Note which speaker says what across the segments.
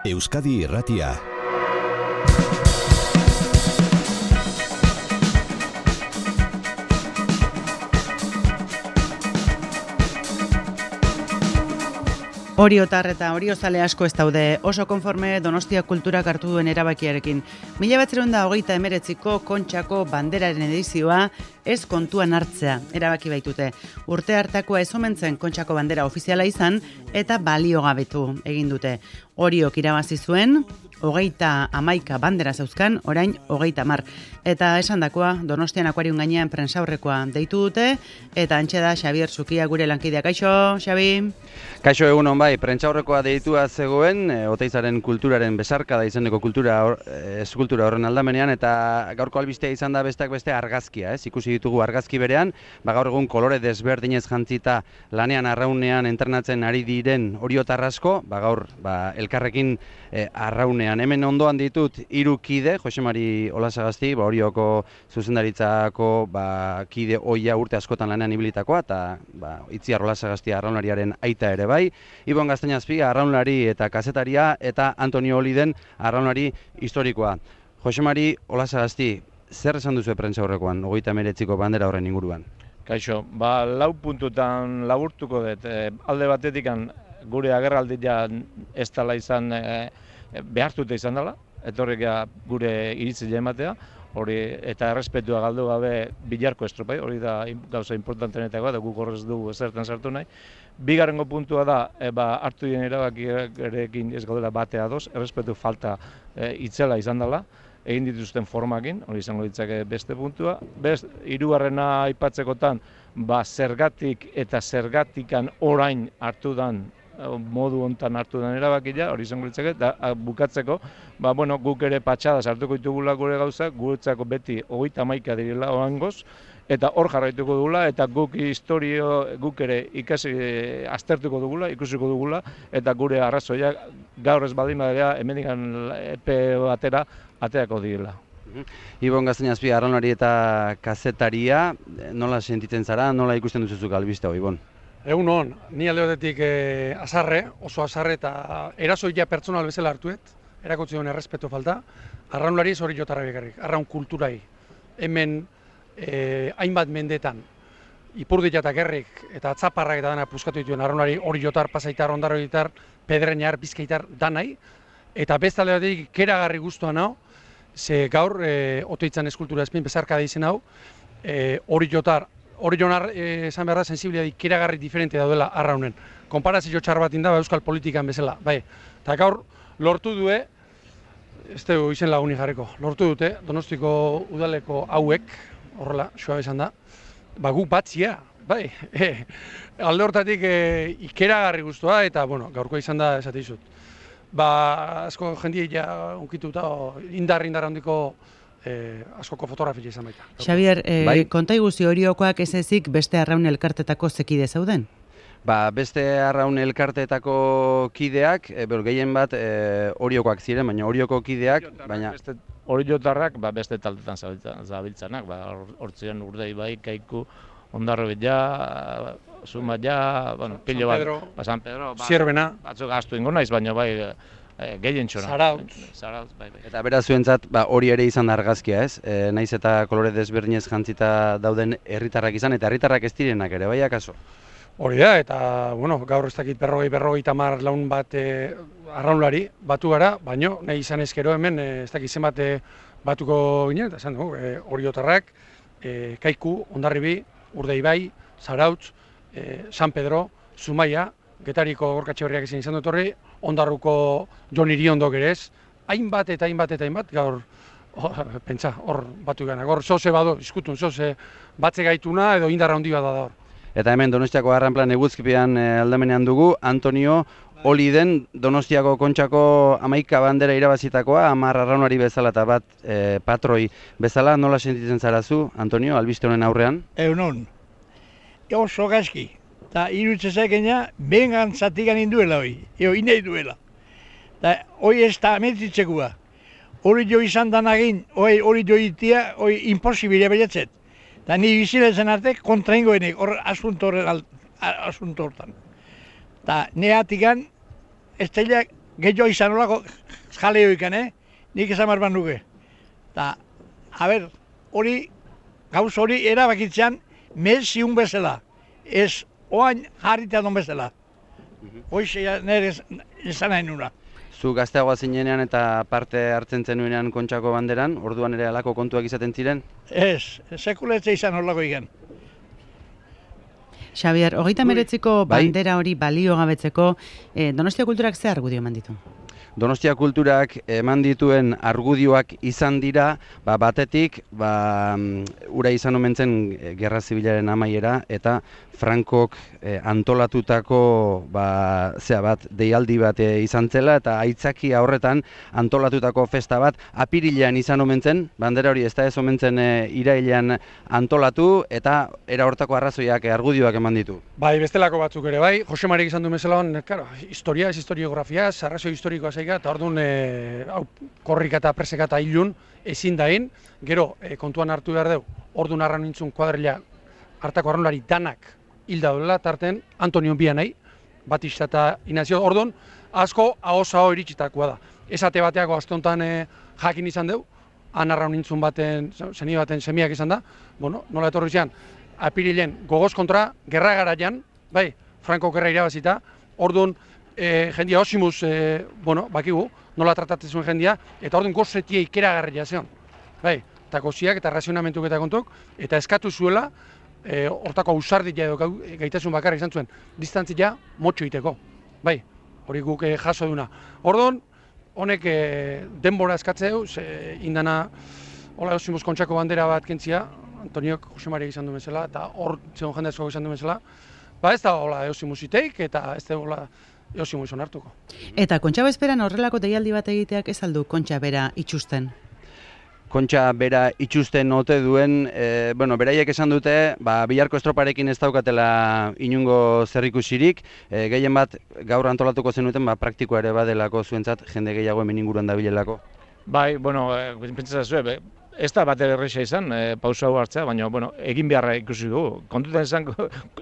Speaker 1: Euskadi Irratia.
Speaker 2: Oriotar eta oriozale asko ez daude oso konforme Donostia kulturak hartu duen erabakiarekin. 1929ko Kontxako banderaren edizioa ez kontuan hartzea erabaki baitute. Urte hartakoa ez omentzen Kontxako bandera ofiziala izan eta baliogabetu egin dute. Oriok irabazi zuen, 31 bandera zeuzkan, orain 30. Eta esandakoa Donostian akuarium gainean prentsaurrekoa deitu dute, eta antxe da Xabier Zukia gure lankideak. Kaixo, Xabi?
Speaker 3: Kaixo, egunon bai, prentsaurrekoa deitua zegoen, Oteizaren kulturaren besarkada izeneko eskultura horren aldamenean, eta gaurko albistea izan da besteak beste argazkia, ikusi ditugu argazki berean, gaur egun kolore desberdinez jantzita lanean arraunean entrenatzen ari diren oriotar asko, gaur elkarrekin arraunean. Hemen ondoan ditut 3 kide, Jose Mari Olasagasti, Orioko zuzendaritzako kide ohia urte askotan lanean ibilitakoa, eta Itziar Olasagasti arraunlariaren aita ere bai, Ibon Gaztainazpi arraunlari eta kazetaria, eta Antonio Oliden arraunlari historikoa. Jose Mari Olasagasti, zer esan duzu prentsaurrekoan 39ko bandera horren inguruan?
Speaker 4: Kaixo, 4 puntutan laburtuko dut. Alde batetik gure agerraldia ez dela izan behartuta izan dela, etorrik gure iritzile ematea, hori eta errespetua galdu gabe bilarko estropai, hori da gauza importantenetakoa, da guk horrez dugu ezertan sartu nahi. Bigarrengo puntua da, hartu dien erabakiarekin ez gaudela batea ados, errespetu falta itzela izan dela, egin dituzten formakin, hori izango ditzake beste puntua. Hirugarrena aipatzekotan, zergatik eta zergatikan orain hartu dan, modu hontan hartu den erabakia, hori izango ditzake, eta bukatzeko, guk ere patxada sartuko ditugula gure gauzak, guretzako beti 31 direla oangoz, eta hor jarraituko dugula, eta guk guk ere ikasi aztertuko dugula, ikusiko dugula, eta gure arrazoiak gaur ez baldin badira hemendikan epe batera ateako direla.
Speaker 3: Ibon Gaztainazpi arraunlari eta kazetaria, nola sentitzen zara, nola ikusten duzuzuk albistea, Ibon?
Speaker 5: Egun hon, ni alde batetik oso azarre eta erasoia pertsonal bezala hartuet, erakutsi duen errespetu falta, arraunlari hori jotarra bekarrik, arraun kulturai. Hemen hainbat mendetan, ipurdiak eta gerrik eta atzaparrak eta dana puskatu dituen arraunlari hori jotar, pasaitar, ondarroitar, pedreñar, bizkaitar, danai, eta beste alde batetik keragarri guztuan hau, ze gaur Oteitzan eskultura ezpin bezarkada izen hau, hori jotar, Orionar esan behar da sensibilitate keragarri diferente daudela arraunen. Konparazio txar bat inda euskal politikan bezala. Eta gaur lortu due, ez dugu izen lagunik jarriko, lortu dute Donostiko udaleko hauek, horrela, suabe esan da, guk batzia, alde hortatik ikeragarri guztua, eta gaurko izan da esate dizut. Asko jendia unkituta indar handiko askoko fotografia izan baita.
Speaker 2: Xabier, konta iguzi Oriokoak ez ezik beste arraun elkartetako zekide zauden?
Speaker 3: Beste arraun elkartetako kideak, gehien bat Oriokoak ziren, baina Orioko kideak,
Speaker 4: Oriotarrak beste taldetan zabiltzanak, hortziren Urdei bai, Kaiku, Ondarrobila, Zumaia, pilo bat, San Pedro,
Speaker 5: Zierbena,
Speaker 4: batzuk astu ingo naiz, baina bai, gehien txona.
Speaker 5: Zarautz.
Speaker 3: Eta beraz zuentzat hori ere izan da argazkia, ez? Naiz eta kolore desberdinez jantzita dauden herritarrak izan, eta herritarrak ez direnak ere, bai akaso?
Speaker 5: Hori da, eta gaur ez dakit 50 laun bat arraunlari batu gara, baina nahi izan ezkero hemen ez dakit zenbat batuko ginen, eta esan dugu, Oriotarrak, Kaiku, Hondarribi, Urdeibai, Zarautz, San Pedro, Zumaia, Getariko Gorkatxe Berriak izan dut horri, Ondarruko Jon Iriondok ere ez, hainbat, gaur, pentsa, hor batu gana, gaur zoze bado, izkutun, zoze batze gaituna edo indarra handi bat da hor.
Speaker 3: Eta hemen Donostiako Arranplan eguzkipean aldamenean dugu, Antonio Oliden Donostiako Kontxako 11 bandera irabazitakoa, 10 arraunari bezala eta bat patroi bezala, nola sentitzen zarazu, Antonio, albiste honen aurrean?
Speaker 6: Egunon, oso gaizki. Eta iruditzen zaikena, bengan zatikan induela hori, inei duela. Eta hori ez da ametzitzekua. Hori jo izan danagin, hori jo itia, hori imposibile beretzet. Eta ni bizilezen arte kontra ingoenek, hor asunto hortan. Eta neatikan, ez teilak gehiago izan olako jaleo ikan, nik esan barban nuke. Eta, hori, gauz hori erabakitzean, ziun bezala, ez oain jarritea don bezala. Hoize nire esan nahi nuna.
Speaker 3: Zu gazteagoa zinenean eta parte hartzen zenuenean Kontxako banderan, orduan ere halako kontuak izaten ziren?
Speaker 6: Ez, sekuletze izan olako ikan.
Speaker 2: Xabier, 39ko bandera hori balio gabetzeko, Donostia Kulturak ze argudio eman ditu?
Speaker 3: Donostia Kulturak eman dituen argudioak izan dira, batetik, ura izan omen zen Gerra Zibilaren amaiera, eta Frankok antolatutako deialdi bat izan zela, eta aitzakia horretan antolatutako festa bat apirilean izan omen zen, bandera hori ez da ez omen zen irailean antolatu, eta era hortako arrazoiak argudioak eman ditu.
Speaker 5: Bai, bestelako batzuk ere, bai, Jose Marik izan du bezala, historia, historiografia, arrazoi historikoa zaika, eta orduan korrika eta preseka eta hilun ezin dain, gero kontuan hartu behar dugu, orduan arra nintzun kuadrilla hartako arraunlari danak hilda duela, tarten Antonio Bianai, Batista eta Inazio, orduan asko ahoz-aho iritsitakoa da. Esate bateako astontan jakin izan dugu, han arraun nintzun baten, zeni baten semiak izan da, nola etorri zian, apirilen gogoz kontra, gerra garaian, bai, Franco gerra irabazita, orduan jendia osimuz, bakigu, nola tratatzen zuen jendia, eta orduan gozetia ikeragarria zion. Bai, eta goziak eta razionamentuk eta kontuk, eta eskatu zuela, hortako ausardia edo gaitasun bakarra izan zuen, distantzia motxo iteko. Bai, hori guk jaso duna. Orduan, honek denbora eskatzeu, indana, hola osimuz Kontxako bandera bat kentzia, Antoniok Jose Maria izan du bezala, eta hor zegoen jende asko izan du bezala, ez da hola eosimuz iteik, eta ez da hola eosimuz onartuko.
Speaker 2: Eta Kontxa bezperan horrelako deialdi bat egiteak ez aldu Kontxa bera itxusten?
Speaker 3: Kontxa bera itxusten ote duen, beraiek esan dute, Bilarko estroparekin ez daukatela inungo zerrikusirik, gehien bat gaur antolatuko zenuten, praktikoa ere badelako zuentzat, jende gehiago hemen inguruan dabilelako.
Speaker 4: Bai, pentsatzen ez da bat erresa izan, pausa hau hartzea, baina egin beharra ikusi dugu. Kontutan izan,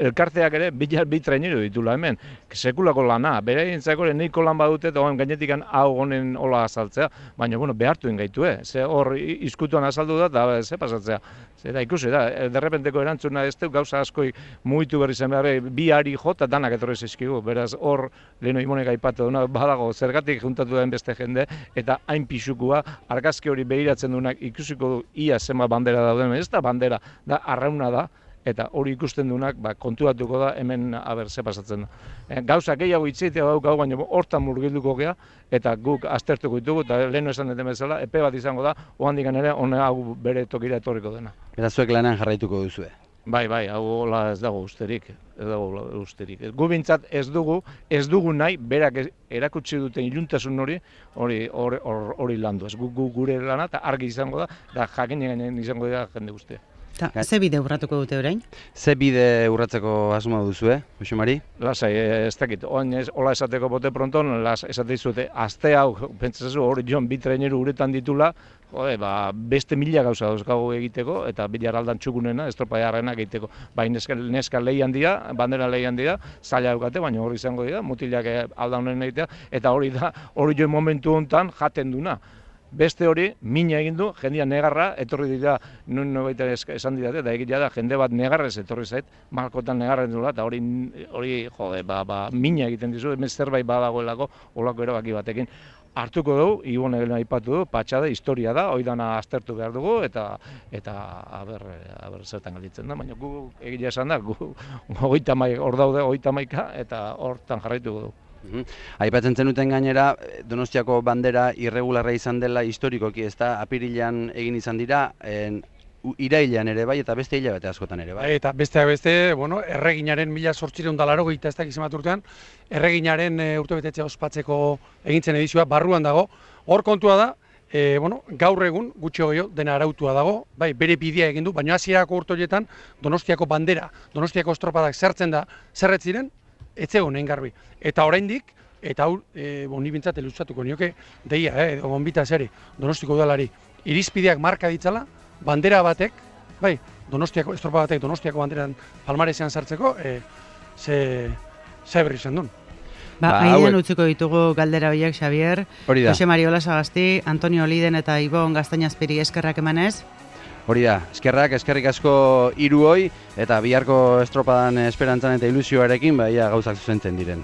Speaker 4: elkarteak ere bi traineru ditula hemen, sekulako lana, beraientzako neiko lan badute, eta gainetik hau honen hola azaltzea, baina behartuen gaitue, ze hor izkutuan azaldu da, eta ze pasatzea. Eta ikusi da, derrepenteko erantzuna ez dut gauza askoi mugitu berri zen behar, bi ari jota danak etorri zizkigu, beraz hor leheno imonek aipatu duna, badago zergatik juntatu den beste jende, eta hain pixukua, argazki hori behiratzen duenak ikusiko du ia zema bandera dauden, ez da bandera, da arrauna da, eta hori ikusten duenak kontuatuko da hemen ze pasatzen da. Gauza gehiago itzitea daukagu, baina hortan murgilduko gea, eta guk aztertuko ditugu, eta leheno esan duten bezala, epe bat izango da, ohandik ere, hau bere tokira etorriko dena.
Speaker 3: Eta zuek lanean jarraituko duzue?
Speaker 4: Bai, hau hola ez dago usterik, Gu bintzat ez dugu nahi, berak erakutsi duten iluntasun hori landu. Ez gure lana, eta argi izango da, eta jakin izango da jende guztia.
Speaker 2: Ze bide urratuko dute orain?
Speaker 3: Ze bide urratzeko asmoa duzue, Jose Mari?
Speaker 4: Lasai, ez dakit, hola esateko bote pronton, esate izute, azte hau, pentsatzen hori joan bi traineru uretan ditula, beste mila gauza dauzkagu egiteko, eta bilar aldan txukunena, estropaiarrenak egiteko. Bai, neska lehian dira, bandera lehian dira, zaila dukate, baina hori izango dira, mutilak aldan honen egitea, eta hori joan momentu honetan jaten duna. Beste hori, mina egin du, jendia negarra, etorri dira, baita esan didate, eta egitea da, jende bat negarrez etorri zait, malkotan negarren dula, eta hori, mina egiten dizu, hemen zerbait badagoelako, olako erabaki batekin. Hartuko dugu, Ibone aipatu du, patxada, historia da, hori dana aztertu behar dugu, eta aber zertan galditzen da, baina gu egia esan da, hor daude 30, eta hortan jarraituko dugu.
Speaker 3: Aipatzen zenuten gainera, Donostiako bandera irregularra izan dela historikoki, ez da, apirilean egin izan dira, irailean ere bai, eta beste hilabete askotan ere bai.
Speaker 5: Eta besteak beste, erreginaren 1880 ez dakiz emat urtean, erreginaren urtebetetzea ospatzeko egintzen edizioa barruan dago. Hor kontua da, gaur egun, gutxi gehiago, dena arautua dago, bai, bere bidea egin du, baina hasierako urte horietan Donostiako bandera, Donostiako estropadak zertzen da, zerret ziren, ez zegoen egin garbi. Eta oraindik, eta hau, ni bintzat eluzatuko nioke, deia, gonbita zeri, Donostiko udalari, irizpideak marka ditzala, bandera batek, bai, Donostiako, estropa batek Donostiako banderan palmarezean sartzeko, ze berri izan duen.
Speaker 2: Aidean utziko ditugu galdera horiek, Xavier.
Speaker 3: Hori da.
Speaker 2: Jose Mariola Sagasti, Antonio Oliden eta Ibon Gaztainazpiri eskerrak emanez.
Speaker 3: Hori da, eskerrik asko hiruoi eta biharko estropadan esperantzan eta ilusioarekin gauzak zuzentzen diren.